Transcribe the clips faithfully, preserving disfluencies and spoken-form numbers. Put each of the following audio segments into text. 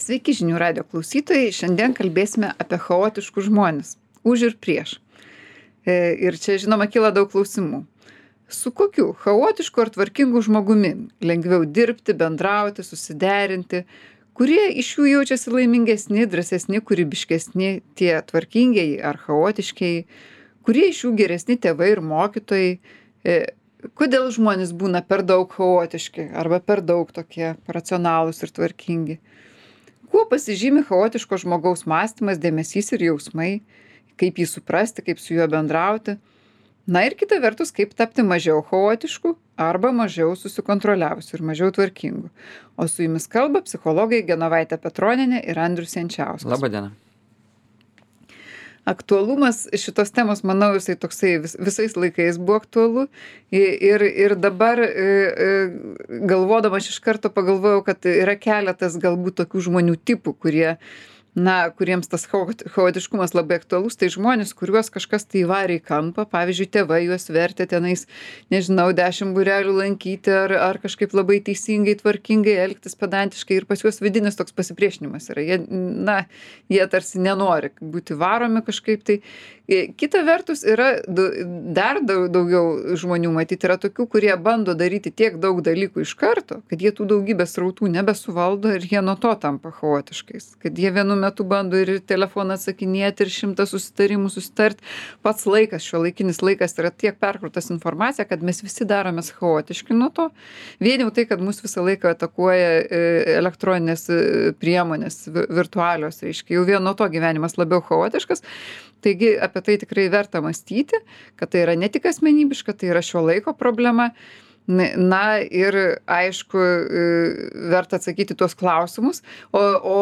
Sveiki žinių radio klausytojai, šiandien kalbėsime apie chaotiškus žmones, už ir prieš. E, ir čia žinoma kyla daug klausimų. Su kokiu chaotišku ar tvarkingu žmogumi lengviau dirbti, bendrauti, susiderinti, kurie iš jų jaučiasi laimingesni, drąsesni, kūrybiškesni, tie tvarkingieji ar chaotiškieji, kurie iš jų geresni tėvai ir mokytojai, e, kodėl žmonės būna per daug chaotiški arba per daug tokie racionalūs ir tvarkingi. Kuo pasižymi chaotiško žmogaus mąstymas, dėmesys ir jausmai, kaip jį suprasti, kaip su juo bendrauti. Na ir kita vertus, kaip tapti mažiau chaotišku arba mažiau susikontroliavusiu ir mažiau tvarkingu. O su jumis kalba psichologai Genovaitė Petronienė ir Andrius Jančiauskas. Labą dieną. Aktualumas šitos temos, manau, jisai toksai vis, visais laikais buvo aktualu. Ir, ir dabar galvodama aš iš karto pagalvojau, kad yra keletas galbūt tokių žmonių tipų, kurie na, kuriems tas chaotiškumas labai aktualus, tai žmonės, kuriuos kažkas tai įvarė į kampą, pavyzdžiui, tėvai juos vertė tenais, nežinau, dešimt būrelių lankyti ar, ar kažkaip labai teisingai, tvarkingai elgtis pedantiškai ir pas juos vidinis toks pasipriešinimas yra. Jie, na, jie tarsi nenori būti varomi kažkaip tai. Kita vertus yra dar daugiau žmonių matyti, yra tokių, kurie bando daryti tiek daug dalykų iš karto, kad jie tų daugybės srautų nebesuvaldo ir jie nuo to tampa chaotiškais. Kad jie vienu metu bando ir telefoną atsakinėti, ir šimtą susitarimų susitart. Pats laikas, šiuolaikinis laikas yra tiek perkrautas informacija, kad mes visi daromės chaotiški nuo to. Vien jau tai, kad mus visą laiką atakuoja elektroninės priemonės, virtualios, reiškia, jau vien nuo to gyvenimas labiau chaotiškas. Taigi apie tai tikrai verta mąstyti, kad tai yra ne tik asmenybiška, tai yra šio laiko problema. Na ir aišku, verta atsakyti tuos klausimus, o, o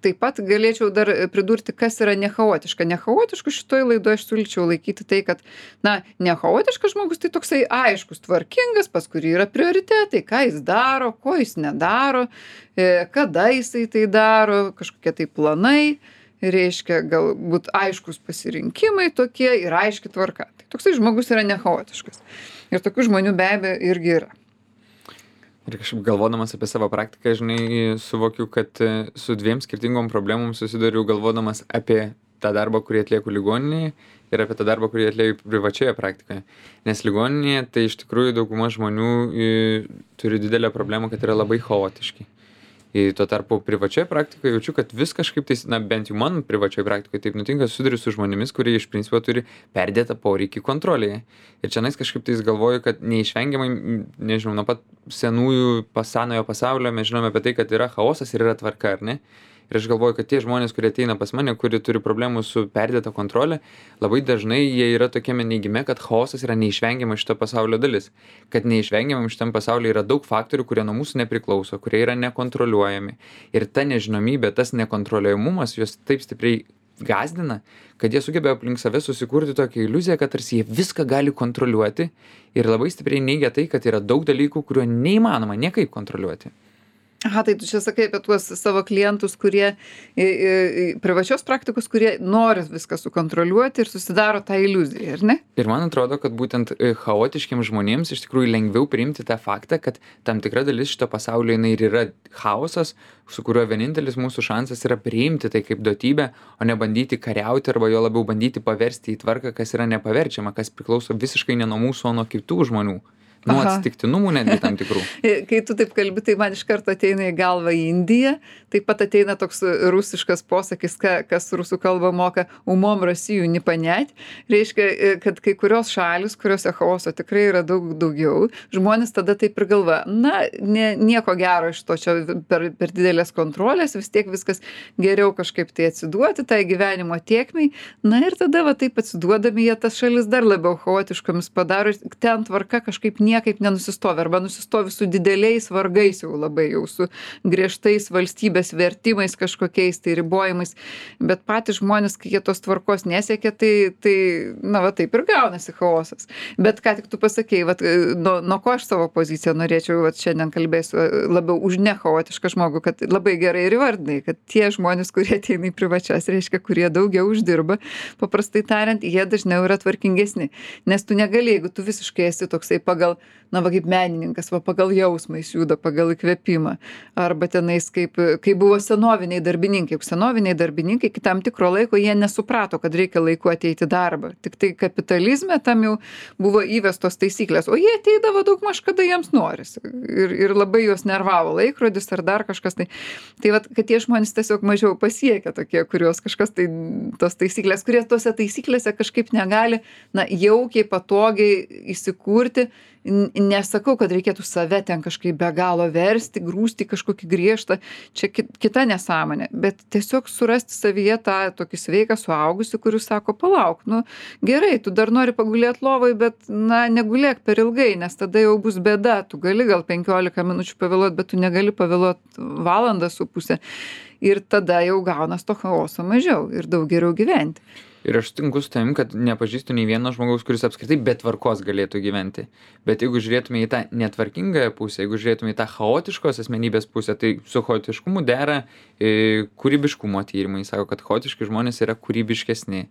taip pat galėčiau dar pridurti, kas yra nechaotiška. Nechaotišku šitoj laidoje aš siūlyčiau laikyti tai, kad, na, nechaotiškas žmogus tai toksai aiškus, tvarkingas, pas kurį yra prioritetai, ką jis daro, ko jis nedaro, kada jisai tai daro, kažkokie tai planai. Reiškia, galbūt aiškus pasirinkimai tokie ir aiški tvarka. Tai toksai žmogus yra nechaotiškas. Ir tokių žmonių be abejo irgi yra. Ir kažkaip galvodamas apie savo praktiką, žinai, suvokiu, kad su dviem skirtingom problemom susiduriu galvodamas apie tą darbą, kurį atlieku ligoninėje ir apie tą darbą, kurį atlieku privačioje praktikoje. Nes ligoninėje tai iš tikrųjų dauguma žmonių turi didelę problemą, kad yra labai chaotiški. Ir tuo tarpu privačioje praktikoje jaučiu, kad vis kažkaip tai, na bent jau man privačioje praktikoje taip nutinka, susiduriu su žmonėmis, kurie iš principo turi perdėtą poreikį kontrolėje. Ir čia nais kažkaip tai galvoju, kad neišvengiamai, nežinau, nuo pat senųjų pasanojo pasaulio mes žinome apie tai, kad yra chaosas ir yra tvarka, ar ne? Ir aš galvoju, kad tie žmonės, kurie ateina pas mane, kurie turi problemų su perdėta kontrolė, labai dažnai jie yra tokiame neigime, kad chaosas yra neišvengiama šito pasaulio dalis. Kad neišvengiamam šitam pasaulyje yra daug faktorių, kurie nuo mūsų nepriklauso, kurie yra nekontroliuojami. Ir ta nežinomybė, tas nekontroliuojamumas juos taip stipriai gąsdina, kad jie sugebėjo aplink save susikurti tokią iliuziją, kad tarsi jie viską gali kontroliuoti ir labai stipriai neigia tai, kad yra daug dalykų, kuriuo neįmanoma niekaip kontroliuoti. Aha, tai tu čia sakai apie tuos savo klientus, kurie, privačios praktikos, kurie nori viską sukontroliuoti ir susidaro tą iliuziją, ar ne? Ir man atrodo, kad būtent chaotiškiams žmonėms iš tikrųjų lengviau priimti tą faktą, kad tam tikra dalis šito pasaulio jinai ir yra chaosas, su kuriuo vienintelis mūsų šansas yra priimti tai kaip duotybę, o ne bandyti kariauti arba jo labiau bandyti paversti į tvarką, kas yra nepaverčiama, kas priklauso visiškai ne nuo mūsų, o nuo kitų žmonių. Nuo atsitiktinumų netgi tam tikrų. Kai tu taip kalbi, tai man iš karto ateina į galvą Indija, taip pat ateina toks rusiškas posakis, ka, kas rusų kalbą moka umom Rasijų nipanять, reiškia, kad kai kurios šalis, kuriuose chaoso tikrai yra daug daugiau, žmonės tada taip ir galva, na, ne, nieko gero iš to čia per, per didelės kontrolės, vis tiek viskas geriau kažkaip tai atsiduoti tai gyvenimo tėkmei, na ir tada va taip atsiduodami jie tas šalis dar labiau chaotiškomis padaro, ten tvarka kažkaip niekaip nenusistovi arba nusistovi su dideliais vargais jau labai jau su griežtais valstybės vertimais kažkokiais tai ribojimais, bet patys žmonės, kai jie tos tvarkos nesiekia, tai, tai na va taip ir gaunasi chaosas. Bet ką tik tu pasakei, vat, nuo, nuo ko aš savo poziciją norėčiau, vat šiandien kalbėsiu labiau už nechaotišką žmogų, kad labai gerai ir įvardinai, kad tie žmonės, kurie ateina į privačias, reiškia, kurie daugiau uždirba, paprastai tariant, jie dažniau yra tvarkingesni, nes tu negali, jeigu tu visiškai esi toksai pagal na va kaip menininkas, va pagal jausmą jis juda, pagal įkvėpimą. Arba tenais kaip, kaip buvo senoviniai darbininkai. Juk senoviniai darbininkai iki tam tikro laiko jie nesuprato, kad reikia laiku ateiti į darbą. Tik tai kapitalizme tam jau buvo įvestos taisyklės, o jie ateidavo daug maž kada jiems norisi. Ir, ir labai juos nervavo laikrodis ar dar kažkas. Tai, tai vat, kad tie žmonės tiesiog mažiau pasiekia tokie, kurios kažkas tai tos taisyklės, kurie tose taisyklėse kažkaip negali, na, jaukiai, patogiai įsikurti. Nesakau, kad reikėtų save ten kažkaip be galo versti, grūsti kažkokį griežtą, čia kita nesąmonė, bet tiesiog surasti savyje tą tokį sveiką suaugusį, kuris sako, palauk, nu gerai, tu dar nori pagulėti lovai, bet, na, negulėk per ilgai, nes tada jau bus bėda, tu gali gal penkiolika minučių pavėluoti, bet tu negali pavėluoti valandą su pusę ir tada jau gaunas to chaoso mažiau ir daug geriau gyventi. Ir aš sutinku su tavim, kad nepažįstu nei vieno žmogaus, kuris apskritai be tvarkos galėtų gyventi. Bet jeigu žiūrėtume į tą netvarkingąją pusę, jeigu žiūrėtume į tą chaotiškos asmenybės pusę, tai su chaotiškumu dera e, kūrybiškumo tyrimai. Sako, kad chaotiški žmonės yra kūrybiškesni.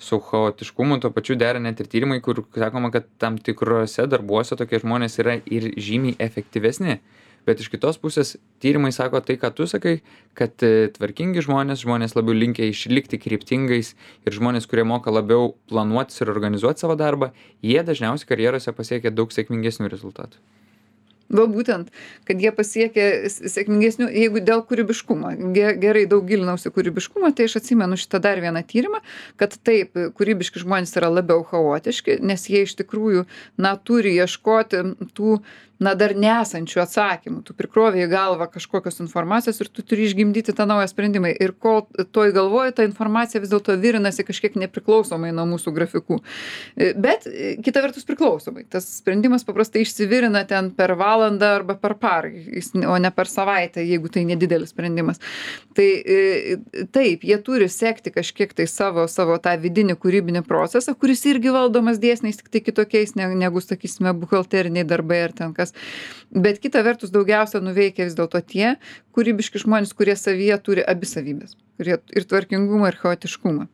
Su chaotiškumu tuo pačiu dera net ir tyrimai, kur sakoma, kad tam tikrose darbuose tokie žmonės yra ir žymiai efektyvesni. Bet iš kitos pusės tyrimai sako tai, ką tu sakai, kad tvarkingi žmonės, žmonės labiau linkę išlikti kryptingais ir žmonės, kurie moka labiau planuotis ir organizuoti savo darbą, jie dažniausiai karjerose pasiekia daug sėkmingesnių rezultatų. Va būtent, kad jie pasiekė sėkmingesnių, jeigu dėl kūrybiškumo. Gerai, daug gilinausi kūrybiškumo, tai aš atsimenu šitą dar vieną tyrimą, kad taip, kūrybiški žmonės yra labiau chaotiški, nes jie iš tikrųjų, na, turi ieškoti tų, na, dar nesančių atsakymų. Tu prikrovė į galvą kažkokios informacijos ir tu turi išgimdyti tą naują sprendimą. Ir kol toj galvoji, ta informacija vis dėlto virinasi kažkiek nepriklausomai nuo mūsų grafikų. Bet kita vertus priklausomai. Tas sprendimas paprastai išsivirina ten per valandą arba per parą, o ne per savaitę, jeigu tai nedidelis sprendimas. Tai taip, jie turi sekti kažkiek tai savo, savo tą vidinį kūrybinį procesą, kuris irgi valdomas dėsniais, tik tai kitokiais negu, sakysime, buhalteriniai darbai ar ten kas. Bet kita vertus daugiausia nuveikia vis dėlto tie kūrybiški žmonės, kurie savyje turi abi savybės. Kurie ir tvarkingumą, ir chaotiškumą.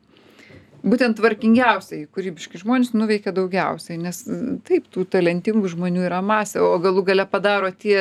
Būtent tvarkingiausiai kūrybiški žmonės nuveikia daugiausiai, nes taip, tų talentingų žmonių yra masė, o galų gale padaro tie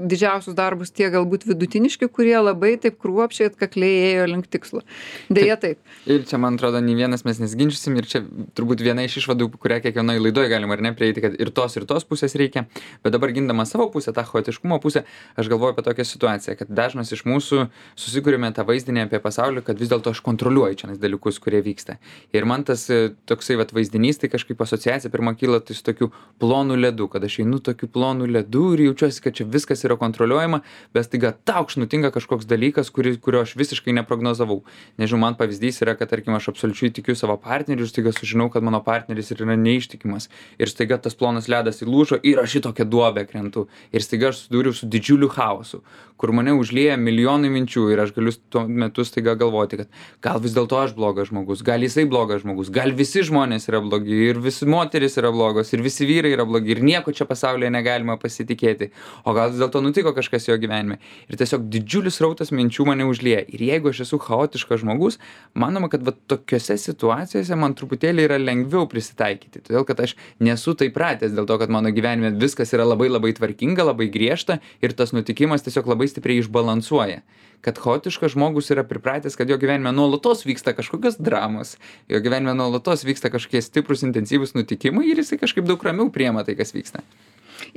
didžiausius darbus tie galbūt vidutiniški, kurie labai taip kruopščiai atkakliai ėjo link tikslo. Deja taip. Ir čia, man atrodo, nei vienas mes nesginčysim ir čia turbūt viena iš išvadų, kurią kiekvienoje laidoje galima ar ne prieiti, kad ir tos ir tos pusės reikia, bet dabar gindama savo pusę, tą chaotiškumo pusę, aš galvoju apie tokią situaciją, kad dažnas iš mūsų susikūrėme tą vaizdinį apie pasaulį, kad vis dėlto aš kontroliuoju čia dalykus, kurie vyksta. Ir man tas toksai vat vaizdinys, tai kažkaip asociacija pirma kyla tai su tokiu plonu ledu, kad aš einu tokiu plonu ledu ir jaučiuosi, kad čia viskas yra kontroliuojama, bet staiga taukš nutinka kažkoks dalykas, kuri, kurio aš visiškai neprognozavau. Nežinau, man pavyzdys yra, kad tarkim aš absoliučiai tikiu savo partneriu ir staiga sužinau, kad mano partneris yra neištikimas. Ir staiga tas plonas ledas įlūžo ir aš į tokią duobę krentu. Ir staiga aš susidūriau su didžiuliu chaosu, kur mane užlieja milijonai minčių ir aš galiu tuo metu staiga galvoti, kad gal vis dėlto aš blogas žmogus, gal jisai blogas žmogus, gal visi žmonės yra blogi ir visi moterys yra blogos ir visi vyrai yra blogi ir nieko čia pasaulyje negalima pasitikėti, o gal vis dėlto nutiko kažkas jo gyvenime. Ir tiesiog didžiulis rautas minčių mane užlieja. Ir jeigu aš esu chaotiškas žmogus, manoma, kad va tokiose situacijose man truputėlį yra lengviau prisitaikyti, todėl kad aš nesu taip pratęs, dėl to, kad mano gyvenime viskas yra labai labai tvarkinga, labai griežta ir tas nutikimas tiesiog labai stipriai išbalansuoja. Kad chaotiškas žmogus yra pripratęs, kad jo gyvenime nuolatos vyksta kažkokios dramos, jo gyvenime nuolatos vyksta kažkokie stiprus, intensyvūs nutikimai ir jisai kažkaip daug ramiau priema tai, kas vyksta.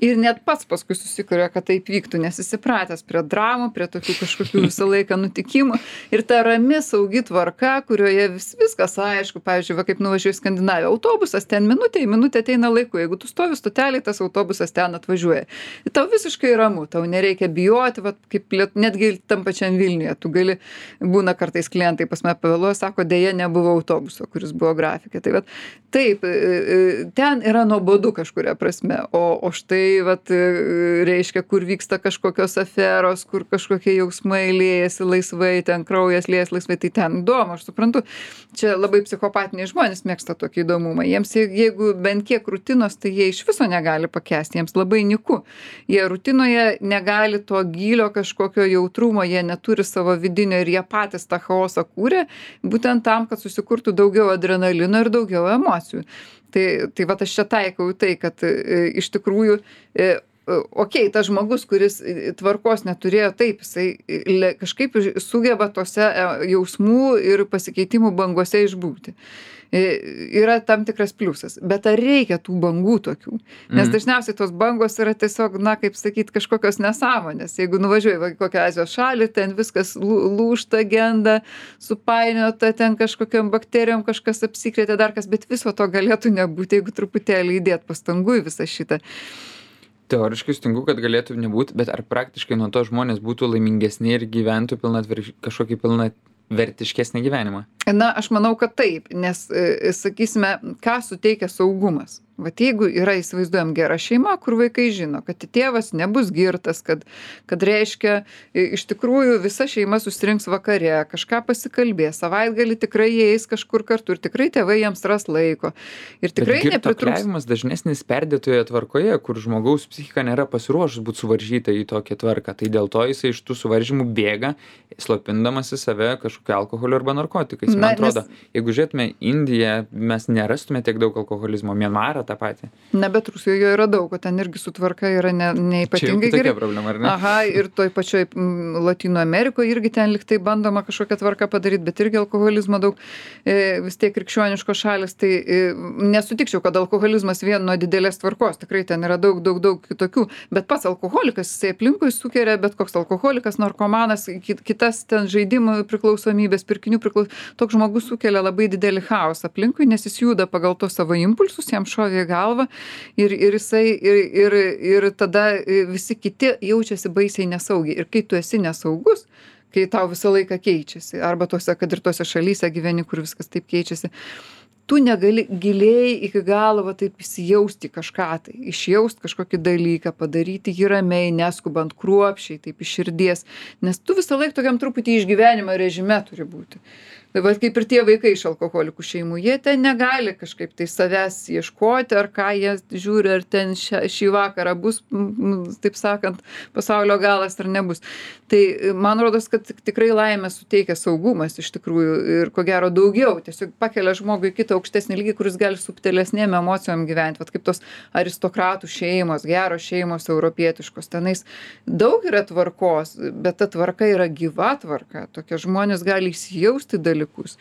Ir net pats paskui susikuria, kad taip vyktų, nes jis įpratęs prie dramų, prie tokių kažkokių visą laiką nutikimų. Ir ta rami, saugi tvarka, kurioje vis, viskas aišku, pavyzdžiui, va, kaip nuvažiuoju į Skandinaviją, autobusas ten minutė į minutę ateina laiku, jeigu tu stovi stotelėje, tas autobusas ten atvažiuoja. Ir tau visiškai ramu, tau nereikia bijoti, va, kaip liet, netgi tam pačiam Vilniuje, tu gali, būna kartais klientai pas mane pavėluoja, sako, dėja nebuvo autobuso, kuris buvo grafikė. Tai va, taip, ten yra nuobodu kažkuria prasme, o, o štai vat, reiškia, kur vyksta kažkokios aferos, kur kažkokie jausmai liejasi laisvai, ten kraujas liejasi laisvai, tai ten įdomu, aš suprantu. Čia labai psichopatiniai žmonės mėgsta tokį įdomumą. Jiems, jeigu bent kiek rutinos, tai jie iš viso negali pakęsti, jiems labai niku. Jie rutinoje negali to gylio kažkokio jautrumo, jie neturi savo vidinio ir jie patys tą chaosą kūrė, būtent tam, kad susikurtų daugiau adrenalino ir daugiau emocijų. Tai, tai vat aš čia taikau į tai, kad e, iš tikrųjų, e, okei, tas žmogus, kuris tvarkos neturėjo, taip, jisai le, kažkaip sugeba tose e, jausmų ir pasikeitimų bangose išbūti. E, yra tam tikras pliusas. Bet ar reikia tų bangų tokių? Nes Mhm. dažniausiai tos bangos yra tiesiog, na, kaip sakyt, kažkokios nesąmonės. Jeigu nuvažiuoji va į kokią Azijos šalį, ten viskas lū- lūžta, genda, supainiota, ten kažkokiam bakterijom kažkas apsikrėtė, dar kas, bet viso to galėtų nebūti, jeigu truputėlį įdėt pastangų į visą šitą. Teoriškai sutinku, kad galėtų nebūt, bet ar praktiškai nuo to žmonės būtų laimingesni ir gyventų pilnatver- kažkokį pilnavertiškesnį gyvenimą? Na, aš manau, kad taip, nes, e, sakysime, ką suteikia saugumas. Vat jeigu yra, įsivaizduojam, gera šeima, kur vaikai žino, kad tėvas nebus girtas, kad, kad reiškia, i- iš tikrųjų visa šeima susirinks vakare, kažką pasikalbės, savaitgalį tikrai jie eis kažkur kartu ir tikrai tėvai jiems ras laiko. Ir tikrai Bet nepritrūks. girtuokliavimas dažnesnis perdėtoje tvarkoje, kur žmogaus psichika nėra pasiruošus būti suvaržyta į tokią tvarką. Tai dėl to jisai iš tų suvaržymų bėga, slopindamasi save kažkokiu alkoholiu arba narkotikais. Man Na, atrodo, nes- jeigu žiūrėtume Indiją, mes nerastume tiek daug alkoholizmo, Mianmarą tą patį. Ne, bet Rusijoje jo yra daug, o ten irgi sutvarka yra ne, Čia jau neipatingai kitokia gerai. problema, ar ne? Aha, ir toj pačioj mm, Latino Amerikoje irgi ten liktai bandoma kažkokią tvarką padaryti, bet irgi alkoholizmo daug, e, vis tiek krikščioniškos šalis, tai e, nesutikčiau, kad alkoholizmas vien nuo didelės tvarkos, tikrai ten yra daug, daug, daug kitokių, bet pats alkoholikas, jisai aplinkui sukeria, bet koks alkoholikas, narkomanas, ki- kitas ten žaidimų priklausomybės, pirkinių priklausomybės, toks žmogus sukelia labai didelį chaosą aplinkui, nes jis juda pagal tos savo impulsus, jam šovė į galvą ir, ir jisai, ir, ir, ir tada visi kiti jaučiasi baisiai nesaugiai. Ir kai tu esi nesaugus, kai tau visą laiką keičiasi, arba tose, kad ir tose šalyse gyveni, kur viskas taip keičiasi, tu negali giliai iki galo va taip įsijausti į kažką, tai išjaust kažkokį dalyką, padaryti jį ramiai, neskubant kruopščiai, taip iš širdies, nes tu visą laiką tokiam truputį išgyvenimo režime turi būti. Tai va kaip ir tie vaikai iš alkoholikų šeimų, jie ten negali kažkaip tai savęs ieškoti, ar ką jie žiūri, ar ten šia, šį vakarą bus, m, taip sakant, pasaulio galas ar nebus. Tai man rodos, kad tik- tikrai laimę suteikia saugumas iš tikrųjų ir ko gero daugiau, tiesiog pakelia žmogų į kitą aukštesnį lygį, kuris gali subtilesnėm emocijom gyventi, vat kaip tos aristokratų šeimos, geros šeimos europietiškos, tenais daug yra tvarkos, bet ta tvarka yra gyva tvarka, tokie žmonės gali įsijausti dalykus.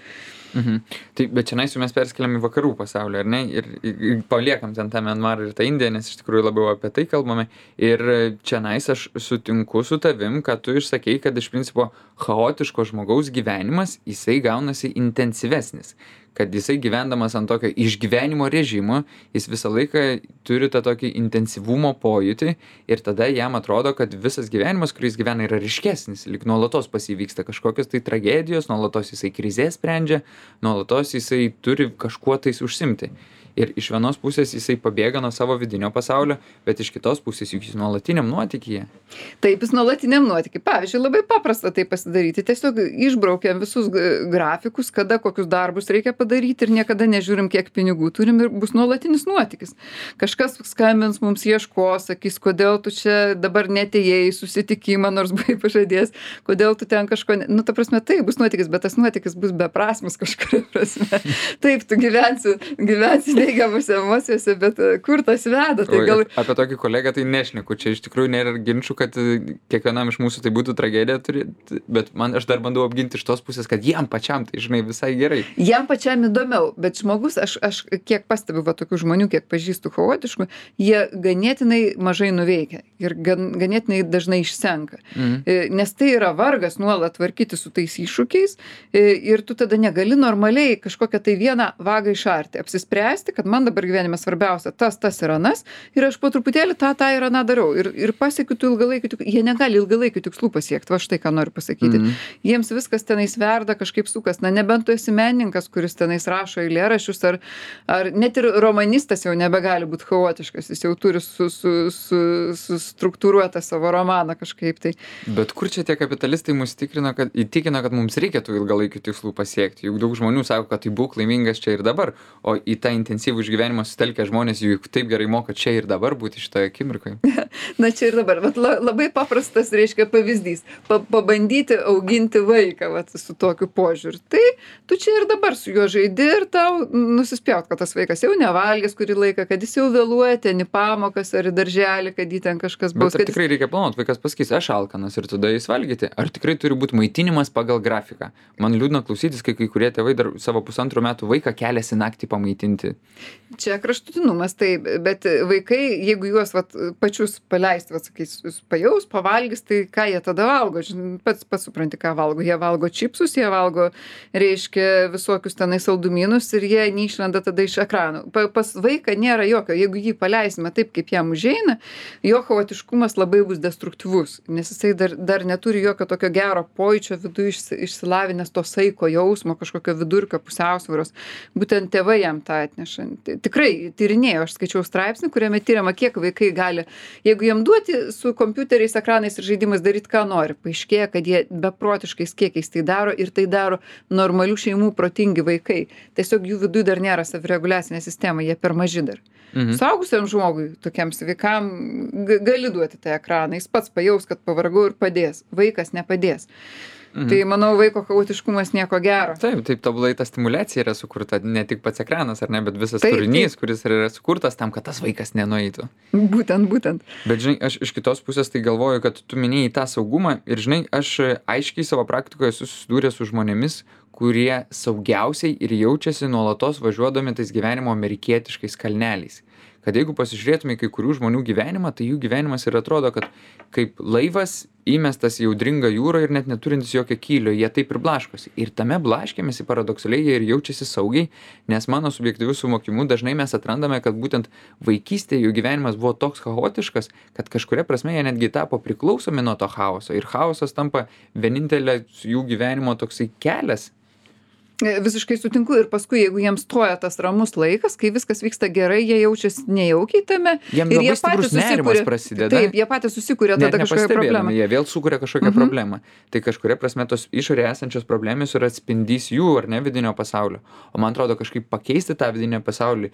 Mhm. Tai, bet čia jau mes perskeliam į vakarų pasaulį, ar ne? Ir, ir, ir paliekam ten tą Mianmarą ir tą Indiją, nes iš tikrųjų labiau apie tai kalbame. Ir čia aš sutinku su tavim, kad tu išsakei, kad iš principo chaotiško žmogaus gyvenimas, jisai gaunasi intensyvesnis. Kad jisai gyvendamas ant tokio išgyvenimo režimo, jis visą laiką turi tą tokį intensyvumo pojūtį ir tada jam atrodo, kad visas gyvenimas, kuris gyvena, yra ryškesnis, lyg nuolatos pas jį vyksta kažkokios tai tragedijos, nuolatos jisai krizės sprendžia, nuolatos jisai turi kažkuo tais užsimti. Ir iš vienos pusės jisai pabėga nuo savo vidinio pasaulio, bet iš kitos pusės juk jis nuolatiniam nuotykyje. Taip, jis nuolatiniam nuotykiai. Pavyzdžiui, labai paprasta tai pasidaryti. Tiesiog išbraukiam visus g- grafikus, kada kokius darbus reikia padaryti ir niekada nežiūrim, kiek pinigų turim ir bus nuolatinis nuotykis. Kažkas skambins mums ieškos, sakys, kodėl tu čia dabar netėjai į susitikimą, nors buvai pažadėjęs, kodėl tu ten kažko... Ne... Nu, ta prasme, tai bus nuotykis, bet tas nuotykis bus beprasmis kažkuria prasme. Taip, tu gyvensi, gyvensi neigiamose emocijose, bet e, kur tas veda? Tai gal... O, apie tokį kolegą tai nešneku. Čia iš tikrųjų nėra ginčių, kad e, kiekvienam iš mūsų tai būtų tragedija, turi, bet man aš dar bandau apginti iš tos pusės, kad jam pačiam tai, žinai, visai gerai. Jam pačiam įdomiau, bet žmogus, aš, aš kiek pastebiu va tokių žmonių, kiek pažįstu chaotiškų, jie ganėtinai mažai nuveikia ir gan, ganėtinai dažnai išsenka. Mhm. E, Nes tai yra vargas nuolat tvarkyti su tais iššūkiais e, ir tu tada negali normaliai kažkokią tai vieną vagą išarti, apsispręsti, kad man dabar gyvenime svarbiausia tas, tas ir anas ir aš po truputėlį tą, tą ir aną darau ir, ir pasiekiu tų ilgalaikių tikslų. Jie negali ilgalaikių tikslų pasiekti, va štai ką noriu pasakyti. Mhm. Jiems viskas tenais verda, kažkaip sukas. Na, nebent tu esi menininkas, kuris tenais rašo eilėraščius, ar, ar net ir romanistas jau nebegali būti chaotiškas, jis jau turi su, su, su, sustruktūruotą savo romaną kažkaip tai. Bet kur čia tie kapitalistai mus tikrina, kad, įtikina, kad mums reikia tų ilgalaikių tikslų pasiekti? Juk daug žmonių sako, kad tai būk laimingas čia ir dabar, o į tą intensyvumą intensyvų išgyvenimą sutelkę žmonės juk taip gerai moka čia ir dabar būti šitoje akimirkoje. Na čia ir dabar, vat, la, labai paprastas, reiškia, pavyzdys. Pa, pabandyti auginti vaiką vat, su tokiu požiūriu. Tai tu čia ir dabar su juo žaidi ir tau nusispjaut, kad tas vaikas jau nevalgęs kurį laiką, kad jis jau vėluoja ten į pamokas ar į darželį, kad jį ten kažkas bus. Bet ar tikrai jis... reikia planuoti, vaikas pasakys, aš alkanas ir tada jis valgyti. Ar tikrai turi būti maitinimas pagal grafiką? Man liūdna klausytis, kai kai kurie tėvai dar savo pusantrų metų vaiką keliasi naktį pamaitinti. Čia kraštutinumas, taip, bet vaikai, jeigu juos vat, pačius paleisti, vat, sakys, pajaus, pavalgys, tai ką jie tada valgo? Žin, pats, pats supranti, ką valgo. Jie valgo čipsus, jie valgo, reiškia, visokius tenai saldumynus ir jie neišlenda tada iš ekranų. Pa, pas vaiką nėra jokio, jeigu jį paleisime taip, kaip jam užeina, jo chaotiškumas labai bus destruktyvus, nes jisai dar, dar neturi jokio tokio gero pojūčio viduje išsilavinęs to saiko jausmo, kažkokio vidurkio pusiausvyros. Būtent tėvai jam tą atneša. Tikrai tyrinėjau, aš skaičiau straipsnį, kuriame tyriama, kiek vaikai gali, jeigu jiem duoti su kompiuteriais, ekranais ir žaidimais daryti, ką nori, paaiškėja, kad jie beprotiškais kiekiais tai daro ir tai daro normalių šeimų protingi vaikai. Tiesiog jų viduje dar nėra savireguliacinė sistema, jie per maži dar. Mhm. Suaugusiam žmogui, tokiam sveikam, gali duoti tą ekraną, jis pats pajaus, kad pavargau ir padės. Vaikas nepadės. Mhm. Tai manau, vaiko chaotiškumas nieko gero. Taip, taip, tobulai ta stimuliacija yra sukurta, ne tik pats ekranas, ar ne, bet visas taip, turinys, taip. kuris yra sukurtas tam, kad tas vaikas nenueitų. Būtent, būtent. Bet žinai, aš iš kitos pusės tai galvoju, kad tu minėjai tą saugumą ir žinai, aš aiškiai savo praktikoje esu susidūręs su žmonėmis, kurie saugiausiai ir jaučiasi nuolatos važiuodami tais gyvenimo amerikietiškais kalneliais. Kad jeigu pasižiūrėtume į kai kurių žmonių gyvenimą, tai jų gyvenimas ir atrodo, kad kaip laivas įmestas į audringą jūrą ir net neturintis jokio kylio, jie taip ir blaškosi. Ir tame blaškėmėsi paradoksaliai jie ir jaučiasi saugiai, nes mano subjektyviu suvokimu dažnai mes atrandame, kad būtent vaikystėje jų gyvenimas buvo toks chaotiškas, kad kažkuria prasme jie netgi tapo priklausomi nuo to chaoso. Ir chaosas tampa vienintelė jų gyvenimo toksai kelias. Visiškai sutinku ir paskui, jeigu jiems stoja tas ramus laikas, kai viskas vyksta gerai, jie jaučiasi nejaukiai tame. Jiem ir labai jie stiprus nerimas prasideda. Taip, jie patys susikuria tada kažkokią problemą. Jie vėl sukuria kažkokią Mhm. problemą. Tai kažkuria prasme tos išorėje esančios problemos yra atspindys jų ar ne vidinio pasaulio. O man atrodo, kažkaip pakeisti tą vidinį pasaulį.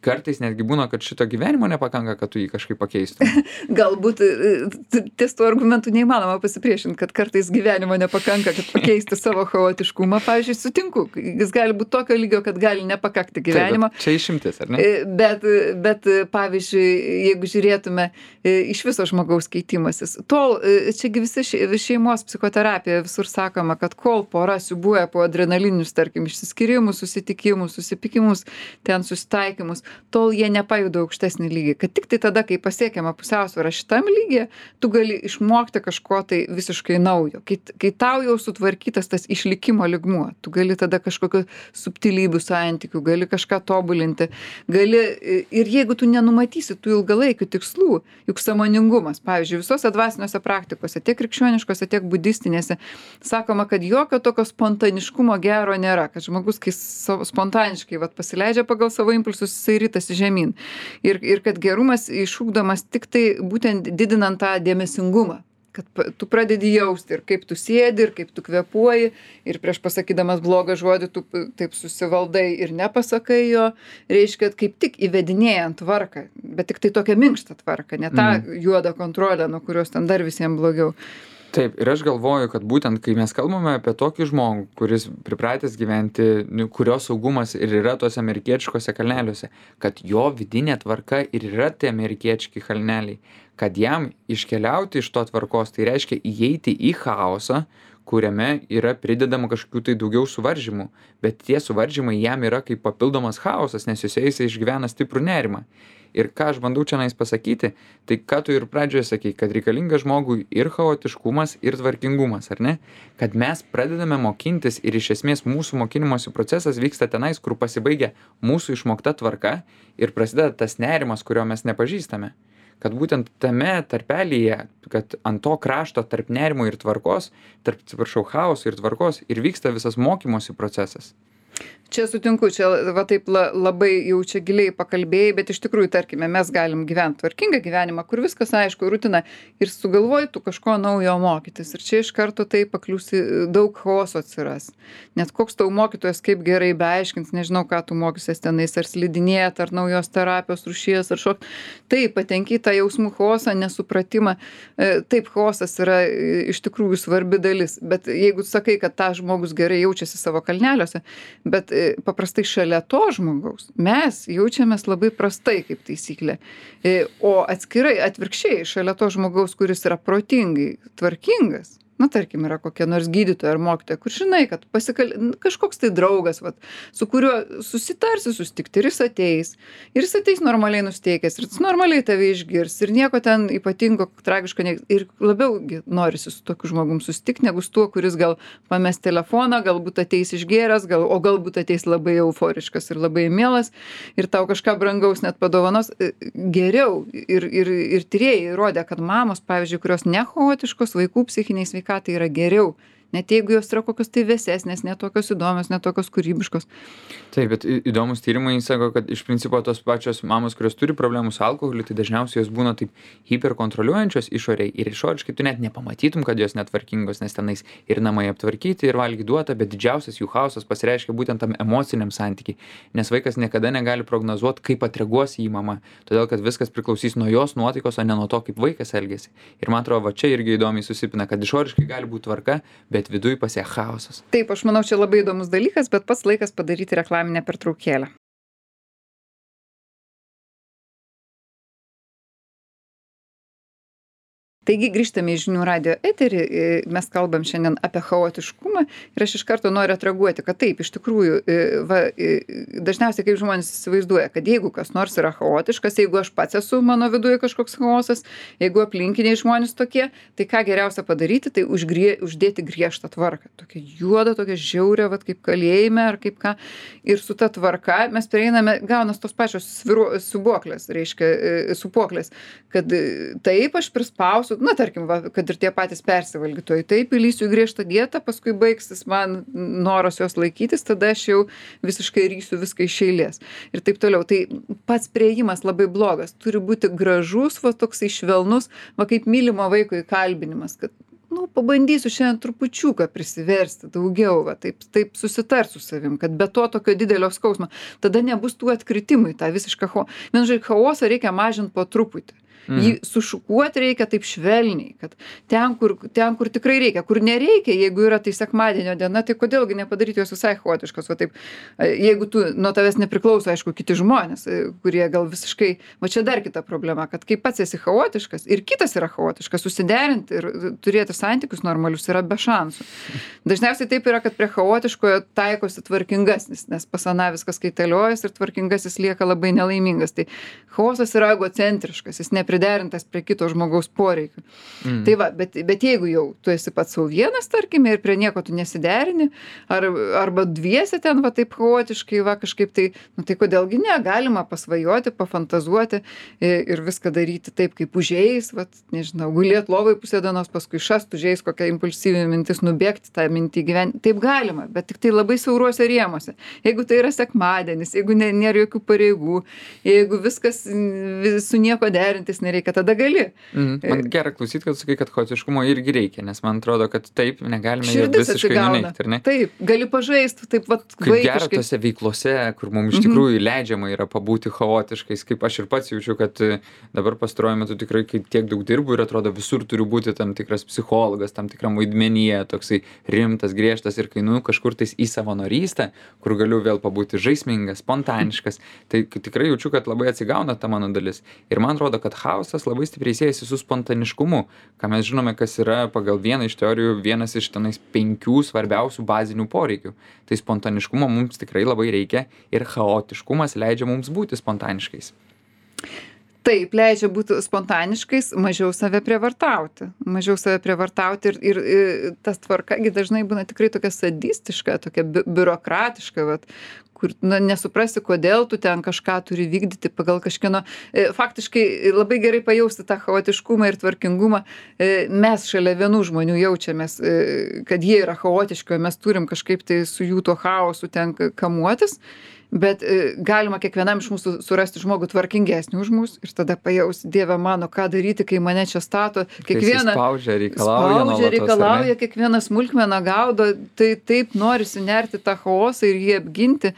Kartais netgi būna, kad šito gyvenimo nepakanka, kad tu jį kažkaip pakeistum. Galbūt e, ties tuo argumentu neįmanoma pasipriešinti, kad kartais gyvenimo nepakanka, kad pakeisti savo chaotiškumą. Pavyzdžiui, sutinku. Jis gali būti tokio lygio, kad gali nepakakti gyvenimo. Taip, čia išimtis, ar ne? Bet, bet pavyzdžiui, jeigu žiūrėtume iš viso žmogaus keitimasis, tol, čiagi visi šeimos psichoterapija visur sakoma, kad kol pora siūbuoja po adrenalininius, tarkim, išsiskyrimus, susitikimus, susipikimus, ten susitaikymus, tol jie nepajuda aukštesnį lygį. Kad tik tai tada, kai pasiekiama pusiausvėra šitam lygyje, tu gali išmokti kažko tai visiškai naujo. Kai, kai tau jau sutvarkytas tas išlikimo lygmuo, tu gali tada kažkokio subtilybių santykių, gali kažką tobulinti, gali, ir jeigu tu nenumatysi tų ilgalaikių tikslų, juk sąmoningumas, pavyzdžiui, visose dvasiniuose praktikose, tiek krikščioniškose, tiek budistinėse, sakoma, kad jokio tokio spontaniškumo gero nėra, kad žmogus, kai spontaniškai vat, pasileidžia pagal savo impulsus, jisai ritasi žemyn. Ir, ir kad gerumas išugdomas tik tai būtent didinant tą dėmesingumą. Kad tu pradedi jausti ir kaip tu sėdi, ir kaip tu kvėpuoji, ir prieš pasakydamas blogą žodį tu taip susivaldai ir nepasakai jo, reiškia, kaip tik įvedinėjant tvarką, bet tik tai tokią minkštą tvarką, ne tą mm. juodą kontrolę, nuo kurios ten dar visiems blogiau. Taip, ir aš galvoju, kad būtent kai mes kalbame apie tokį žmogų, kuris pripratęs gyventi, kurio saugumas ir yra tuose amerikietiškose kalneliuose, kad jo vidinė tvarka ir yra tie amerikiečiai kalneliai, kad jam iškeliauti iš to tvarkos, tai reiškia įeiti į chaosą, kuriame yra pridedama kažkokių tai daugiau suvaržymų, bet tie suvaržymai jam yra kaip papildomas chaosas, nes juose jisai išgyvena stiprų nerimą. Ir ką aš bandau čia nais pasakyti, tai ką tu ir pradžioje sakei, kad reikalinga žmogui ir chaotiškumas, ir tvarkingumas, ar ne? Kad mes pradedame mokintis ir iš esmės mūsų mokinimosi procesas vyksta tenais, kur pasibaigia mūsų išmokta tvarka ir prasideda tas nerimas, kurio mes nepažįstame. Kad būtent tame tarpelyje, kad ant to krašto tarp nerimo ir tvarkos, tarp, atsiprašau, chaoso ir tvarkos ir vyksta visas mokymosi procesas. Čia sutinku, čia va taip la, labai jau čia giliai pakalbėjai, bet iš tikrųjų, tarkime, mes galim gyventi tvarkingą gyvenimą, kur viskas aišku, rutina ir sugalvoji tu kažko naujo mokytis. Ir čia iš karto tai pakliūsi, daug chaoso atsiras. Net koks tau mokytojas kaip gerai beaiškins, nežinau, ką tu mokysies tenais, ar slidinėt, ar naujos terapijos rūšies, ar šok. Taip, patenki tą jausmų chaosą, nesupratimą. Taip, chaosas yra iš tikrųjų svarbi dalis. Bet jeigu sakai, kad tą žmogus gerai jaučiasi savo kalneliuose, bet paprastai šalia to žmogaus mes jaučiamės labai prastai kaip taisyklė. O atskirai, atvirkščiai, šalia to žmogaus, kuris yra protingai tvarkingas, na, tarkim, yra kokia nors gydytoja ar mokytoja, kur žinai, kad pasikal... kažkoks tai draugas, vat, su kuriuo susitarsi susitikti ir jis ateis. Ir jis ateis normaliai nusteikęs, ir jis normaliai tave išgirs, ir nieko ten ypatingo, tragiško, ne... ir labiau norisi su tokiu žmogum susitikti, negu su tuo, kuris gal pames telefoną, galbūt ateis išgėręs, gal... o galbūt ateis labai euforiškas ir labai mielas, ir tau kažką brangaus net padovanos. Geriau. Ir, ir, ir tyrėjai įrodė, kad mamos, pavyzdžiui, kurios nechaotiškos, vaikų psichiniai sveikatai, ką tai yra geriau, net jeigu jos yra kokios tai vėsesnės, netokios įdomios, netokios kūrybiškos. Taip, bet įdomus tyrimai sako, kad iš principo tos pačios mamos, kurios turi problemų su alkoholiu, tai dažniausiai jos būna taip hiperkontroliuojančios išoriai ir išoriškai tu net nepamatytum, kad jos netvarkingos, nes tenais ir namai aptvarkyti, ir valgy duota, bet didžiausias jų chaosas pasireiškia būtent tam emociniam santykiai, nes vaikas niekada negali prognozuoti, kaip atreaguos į mamą, todėl kad viskas priklausys nuo jos nuotaikos, o ne nuo to, kaip vaikas elgiasi. Ir man atrodo, va čia irgi įdomiai susipina, kad išoriškai gali būti tvarka, bet viduj pasie chaosas. Taip, aš manau, čia labai įdomus dalykas, bet pats laikas padaryti reklaminę pertraukėlę. Taigi grįžtame į žinių radijo eterį, mes kalbam šiandien apie chaotiškumą ir aš iš karto noriu atreaguoti, kad taip, iš tikrųjų, va, dažniausiai kaip žmonės įsivaizduoja, kad jeigu kas nors yra chaotiškas, jeigu aš pats esu, mano viduje kažkoks chaosas, jeigu aplinkiniai žmonės tokie, tai ką geriausia padaryti, tai užgrie, uždėti griežtą tvarką. Tokia juoda, tokia žiauria, va, kaip kalėjime ar kaip ką. Ir su ta tvarka mes prieiname, gaunas tos pačios sviru, subuoklės, reiškia, supuoklės, kad taip aš prispausiu, na, tarkim, va, kad ir tie patys persivalgytojai, taip įlysiu į griežtą dietą, paskui baigsis man noras jos laikytis, tada aš jau visiškai rysiu viską iš eilės. Ir taip toliau. Tai pats priėjimas labai blogas. Turi būti gražus, va, toksai švelnus, va, kaip mylimo vaiko įkalbinimas, kad, nu, pabandysiu šiandien trupučiuką prisiversti daugiau, va, taip, taip susitart su savim, kad be to tokio didelio skausmo, tada nebus tų atkritimų į tą visišką chaosą. Vienu žodžiu, chaosą reikia mažinti po truputį. Mm. Jį sušukuoti reikia taip švelniai, kad ten kur, ten, kur tikrai reikia, kur nereikia, jeigu yra tai sekmadienio diena, tai kodėlgi nepadaryti jos visai chaotiškos, o taip, jeigu tu nuo tavęs nepriklauso, aišku, kiti žmonės, kurie gal visiškai, va čia dar kita problema, kad kai pats esi chaotiškas ir kitas yra chaotiškas, susiderinti ir turėti santykius normalius yra be šansų. Dažniausiai taip yra, kad prie chaotiškojo taikosi tvarkingasnis, nes pas aną viskas kaitaliojas ir tvarkingasis lieka labai nelaimingas. Tai chaosas yra egocentriškas, jis nepriderintas prie kito žmogaus poreikių. Mm. Tai va, bet, bet jeigu jau tu esi pats sau vienas, tarkime, ir prie nieko tu nesiderini, ar, arba dviese ten va taip chaotiškai, va kažkaip tai, nu tai kodėlgi ne, galima pasvajoti, pafantazuoti ir viską daryti taip, kaip užėjais, va, nežinau, gulėt lovai pusę dienos, paskui šast užėjais kokią impulsyvią mintis, nubėgti tą mintį gyventi. Taip galima, bet tik tai labai siauruose rėmuose. Jeigu tai yra sekmadienis, jeigu ne, nėra jokių pareigų, jeigu viskas su nieko derintis nereikia, tada gali. Mm. Man gera klausyti, kad sakai, kad chaotiškumo irgi reikia, nes man atrodo, kad taip negalime jo visiškai nuneigti, ar ne? Taip, gali pažaisti, taip vat vaikiškai. Kaip gera tose veiklose, kur mums iš tikrųjų mm-hmm. leidžiama yra pabūti chaotiškais, kaip aš ir pats jaučiu, kad dabar pastaruoju metu tikrai tiek daug dirbu ir atrodo visur turiu būti tam tikras psichologas, tam tikram vaidmenyje, toksai rimtas, griežtas ir kai nu kažkur tais į savanorystę, kur galiu vėl pabūti žaismingas, spontaniškas, tai tikrai jaučiu, kad labai atsigauna ta mano dalis. Ir man atrodo, kad chaosas labai stipriai siejasi su spontaniškumu, ką mes žinome, kas yra pagal vieną iš teorijų vienas iš tenais penkių svarbiausių bazinių poreikių. Tai spontaniškumo mums tikrai labai reikia ir chaotiškumas leidžia mums būti spontaniškais. Taip, leidžia būti spontaniškais, mažiau save prievartauti. Mažiau save prievartauti ir, ir, ir tas tvarkagi dažnai būna tikrai tokia sadistiška, tokia bi biurokratiška, vat, kur na, nesuprasi, kodėl tu ten kažką turi vykdyti pagal kažkieno. E, faktiškai labai gerai pajausti tą chaotiškumą ir tvarkingumą. E, mes šalia vienų žmonių jaučiamės, e, kad jie yra chaotiški, o mes turim kažkaip tai su jų tuo chaosu ten kamuotis. Bet e, galima kiekvienam iš mūsų surasti žmogų tvarkingesnį už mus ir tada pajausti, Dieve mano, ką daryti, kai mane čia stato. Kiekvieną spaudžia, reikalauja, spaudžia, reikalauja kiekvieną smulkmeną gaudo, tai taip norisi nerti tą chaosą ir jį apginti,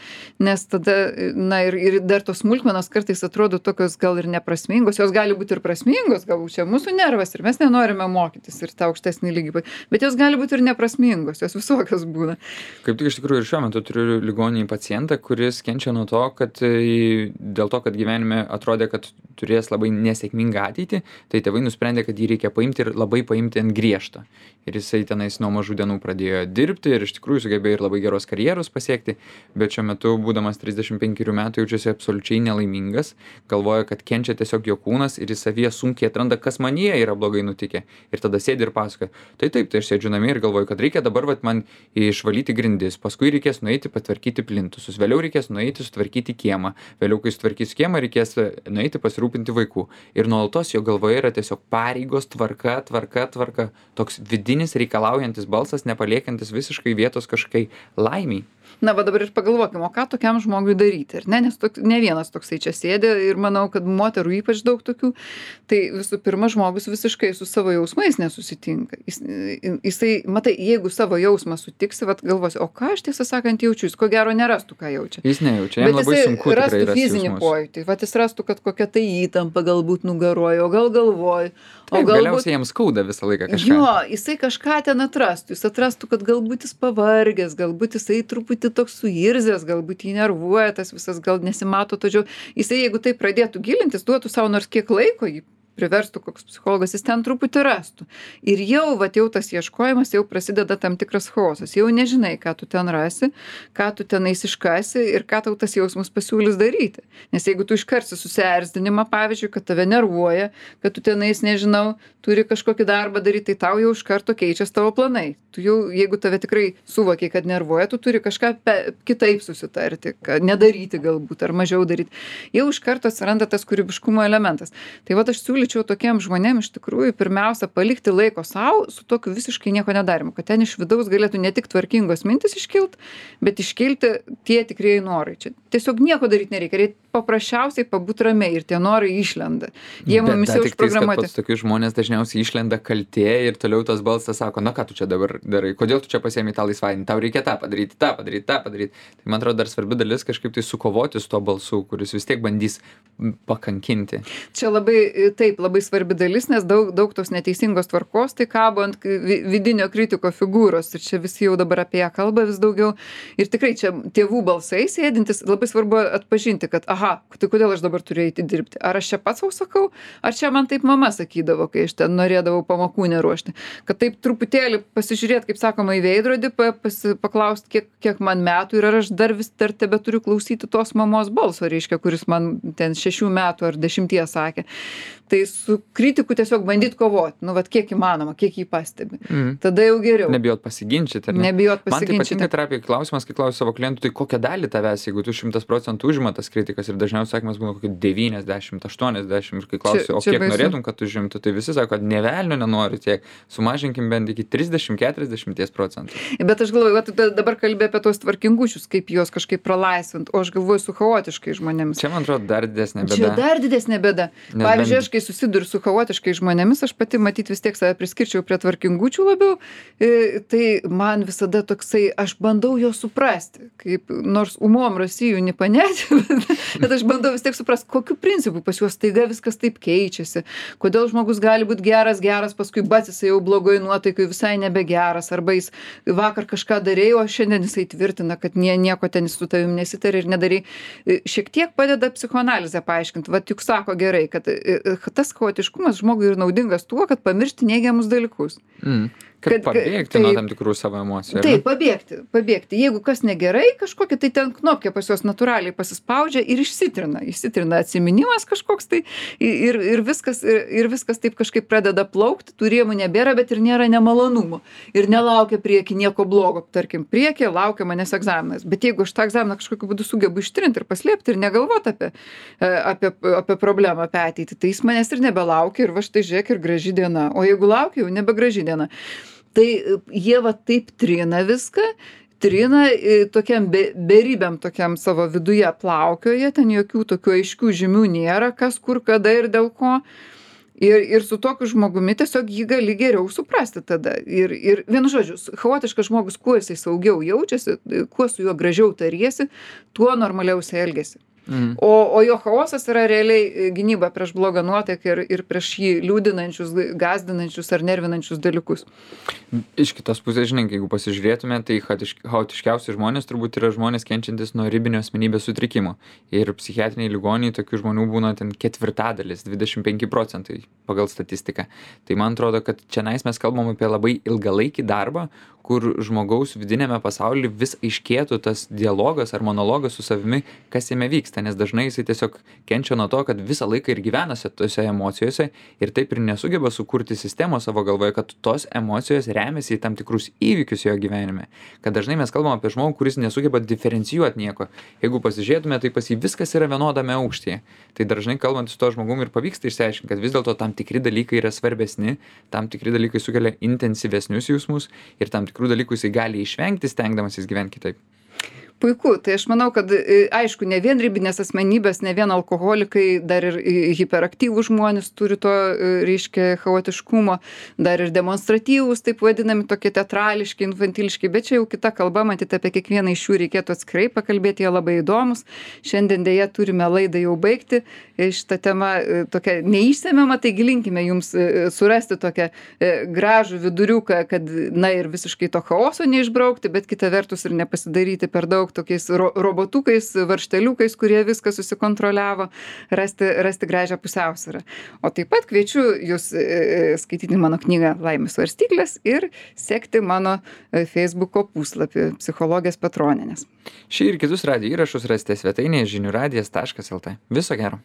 nes tada, na ir, ir dar tos smulkmenos kartais atrodo tokios gal ir neprasmingos, jos gali būti ir prasmingos, galbūt čia mūsų nervas ir mes nenorime mokytis ir tą aukštesnį lygį, bet jos gali būti ir neprasmingos, jos visokios būna. Kaip tik iš tikrųjų ir šiuo metu turiu ligoninį pacientą, kuris kenčia nuo to, kad dėl to, kad gyvenime atrodė, kad turės labai nesėkmingą ateitį, tai tėvai nusprendė, kad jį reikia paimti ir labai paimti ant griežto. Ir jisai tenais nuo mažų dienų pradėjo dirbti ir iš tikrųjų sugebėjo ir labai geros karjeros pasiekti, bet šiuo metu, būdamas trisdešimt penkerių metų, jaučiasi absoliučiai nelaimingas, galvoja, kad kenčia tiesiog jo kūnas ir jis savyje sunkiai atranda, kas manyje yra blogai nutikę. Ir tada sėdi ir pasakoja, tai taip, tai aš sėdžiu namie ir galvoju, kad reikia dabar vat, man išvalyti grindis, paskui reikės nueiti patvarkyti plintusus, vėliau reikės nueiti sutvarkyti kiemą, vėliau kai sutvarkys kiemą, reikės nueiti pasirūpinti vaikų. Ir nuolatos jo galvoje yra tiesiog pareigos, tvarka, tvarka, tvarka, toks vidinis reikalaujantis balsas, nepaliekantis visiškai vietos kažkai laimiai. Na, va dabar ir pagalvokime, o ką tokiam žmogui daryti, ar ne? Nes tok, ne vienas toksai čia sėdė ir manau, kad moterų ypač daug tokių. Tai visų pirma, žmogus visiškai su savo jausmais nesusitinka. Jis, jisai, matai, jeigu savo jausmą sutiksi, vat galvosi, o ką aš tiesą sakant jaučiu, jis ko gero nerastų, ką jaučia. Jis nejaučia, jam labai sunku tikrai rasti jausmus. Fizinį pojūtį, vat jis rastų, kad kokia tai įtampa galbūt nugaroja, o gal galvoj. Taip, galbūt... galiausiai jam skauda visą laiką kažką. Jo, jisai kažką ten atrastų, jis atrastų, kad galbūt jis pavargęs, galbūt jisai truputį toks suirzęs, galbūt jį nervuoja, tas visas gal nesimato, tačiau jisai, jeigu tai pradėtų gilintis, duotų savo nors kiek laiko, jį priverstų koks psichologas, jis ten truputį rastų. Ir jau, vat jau tas ieškojimas, jau prasideda tam tikras chaosas. Jau nežinai, ką tu ten rasi, ką tu tenais iškasi ir ką tau tas jausmas pasiūlys daryti. Nes jeigu tu iškarsi susierzdinimą, pavyzdžiui, kad tave nervuoja, kad tu tenais, nežinau, turi kažkokį darbą daryti, tai tau jau iš karto keičiasi tavo planai. Tu jau, jeigu tave tikrai suvokiai, kad nervuoja, tu turi kažką pe, kitaip susitarti, kad nedaryti galbūt ar mažiau daryti. Jau iš karto atsiranda tas kūrybiškumo elementas. Tai vat aš siūlyčiau tokiem žmonėm iš tikrųjų pirmiausia palikti laiko sau su tokiu visiškai nieko nedarimu, kad ten iš vidaus galėtų ne tik tvarkingos mintis iškilt, bet iškilti tie tikrieji norai. Čia tiesiog nieko daryti nereikia, reikia paprasčiausiai pabūt ramiai ir tie norai išlenda. Jie mumis jau užprogramuoti. Pats tokius žmonės dažniausiai išlenda kaltė ir toliau tas balsas sako, na ką tu čia dabar darai, kodėl tu čia pasiėmei tą laisvadienį, tau reikia tą padaryti, tą padaryti, tą padaryti. Tai man atrodo dar svarbi dalis kažkaip tai sukovoti su to balsu, kuris vis tiek bandys pakankinti. Čia labai, taip, labai svarbi dalis, nes daug, daug tos neteisingos tvarkos tai kabo ant vidinio kritiko figūros ir čia visi jau dabar apie ją kalba vis daugiau. Ir tikrai čia tėvų balsai sėdintis, labai svarbu atpažinti, kad aha, tai kodėl aš dabar turiu eiti dirbti? Ar aš čia pats sau sakau, ar čia man taip mama sakydavo, kai aš ten norėdavau pamokų neruošti? Kad taip truputėlį pasižiūrėti, kaip sakoma, į veidrodį, paklausti, kiek, kiek man metų ir ar aš dar vis dar tebe turiu klausyti tos mamos balso, reiškia, kuris man ten šešių metų ar dešimties sakė. Tai su kritiku tiesiog bandyt kovoti, nu vat kiek įmanoma, kiek jį pastebi. Mm. Tada jau geriau. Nebijot pasiginčyti, ar ne? Nebijot pasiginčyti. Man tai patinka terapijoj klausimas, kai klausiu savo klientų, tai kokią dalį tavęs, jeigu tu šimtas procentų užima tas kritikas ir dažniausiai sakymas būna kokį devyniasdešimt, aštuoniasdešimt ir kai klausiu, čia, o kiek baisu. Norėtum, kad užimtų, tai visi sako, kad nė velnio nenori tiek, sumažinkim bent iki trisdešimt keturiasdešimt procentų. Bet aš galvoju, kad tu dabar kalbė apie tos tvarkingučius, kaip juos kažkaip pralaisvint, o aš galvoju su chaotiškai žmonėmis. Čia man atrodo dar didesnė bėda. Čia dar didesnė bėda. Pavyzdžiui, aš kai susiduriu su chaotiškai žmonėmis, aš pati matyt vis tiek save priskirčiau prie tvarkingučių labiau, tai man visada toksai, aš bandau jo suprasti, kaip nors umom rasijų nepanėti, bet aš bandau vis tiek suprasti, kokiu principu pas juos staiga viskas taip keičiasi, kodėl žmogus gali būti geras, geras, paskui bats jisai jau blogoj nuotaikai visai nebegeras, arba jis vakar kažką darėjo, o šiandien jisai tvirtina, kad nie, nieko ten su tavim nesitarė ir nedarė. Šiek tiek padeda psichoanalizė paaiškinti, vat juk sako gerai, kad kad tas chaotiškumas žmogui ir naudingas tuo, kad pamiršti neigiamus dalykus. Mm. Kad, kad pabėgti tai, nuo tam tikrų savo emocijų. Taip, pabėgti, pabėgti. Jeigu kas negerai kažkokia, tai ten knopkė pas juos natūraliai pasispaudžia ir išsitrina. Išsitrina atsiminimas kažkoks tai ir, ir, viskas, ir, ir viskas taip kažkaip pradeda plaukti, tų rėmų nebėra, bet ir nėra nemalonumo. Ir nelaukia prieki nieko blogo. Tarkim, prieki laukia manęs egzaminas. Bet jeigu aš tą egzaminą kažkokiu būdu sugebu ištrinti ir paslėpti ir negalvoti apie, apie, apie problemą, apie ateitį, tai jis manęs ir nebelaukia ir va štai žiūrėk ir graži diena. O jeigu laukia, jau nebegraži diena. Tai jie va taip trina viską, trina tokiam be, beribiam tokiam savo viduje plaukioje, ten jokių tokių aiškių žymių nėra, kas, kur, kada ir dėl ko. Ir, ir su tokiu žmogumi tiesiog jį gali geriau suprasti tada. Ir, ir vienu žodžiu, chaotiškas žmogus, kuo jisai saugiau jaučiasi, kuo su juo gražiau tariesi, tuo normaliau jisai elgiasi. Mm. O, o jo chaosas yra realiai gynyba prieš blogą nuotaiką ir, ir prieš jį liūdinančius, gąsdinančius ar nervinančius dalykus. Iš kitos pusės, žinai, jeigu pasižiūrėtume, tai chaotiškiausi žmonės turbūt yra žmonės kenčiantis nuo ribinio asmenybės sutrikimo. Ir psichiatriniai ligoniai tokių žmonių būna ten ketvirtadalis, dvidešimt penki procentai pagal statistiką. Tai man atrodo, kad čia mes kalbam apie labai ilgalaikį darbą, kur žmogaus vidinėme pasaulyje vis aiškėtų tas dialogas ar monologas su savimi, kas jame vyksta, nes dažnai jisai tiesiog kenčia nuo to, kad visą laiką ir gyvenasi tose emocijose ir taip ir nesugeba sukurti sistemos savo galvoje, kad tos emocijos remiasi į tam tikrus įvykius jo gyvenime. Kad dažnai mes kalbam apie žmogų, kuris nesugeba diferencijuoti nieko. Jeigu pasižiūrėtume, tai pas jį viskas yra vienodame aukštyje. Tai dažnai kalbant su to žmogumi ir pavyksta išsiaiškinti, kad vis dėlto tam tikri dalykai yra svarbesni, tam tikri dalykai sukelia intensyvesnius jausmus ir tam tikrų dalykų jisai gali išvengti, stengdamasis gyventi kitaip. Puiku, tai aš manau, kad aišku, ne vien ribinės asmenybės, ne vien alkoholikai, dar ir hiperaktyvūs žmonės turi to, reiškia, chaotiškumo, dar ir demonstratyvūs, taip vadinami, tokie teatrališki, infantiliški, bet čia jau kita kalba, matyti apie kiekvieną iš jų reikėtų atskirai pakalbėti, jie labai įdomus. Šiandien dėja turime laidą jau baigti, šitą temą tokia neišsemiama, taigi linkime jums surasti tokią gražų viduriuką, kad, na ir visiškai to chaoso neišbraukti, bet kita vertus ir nepasidaryti per daug tokiais ro robotukais, varšteliukais, kurie viską susikontroliavo, rasti, rasti gražią pusiausvyrą. O taip pat kviečiu jūs e, skaityti mano knygą Laimės svarstyklės ir sekti mano Facebooko puslapį Psichologės Petronienės. Šį ir kitus radijo įrašus rasite svetainėje žinių radijas taškas lt. Viso gero.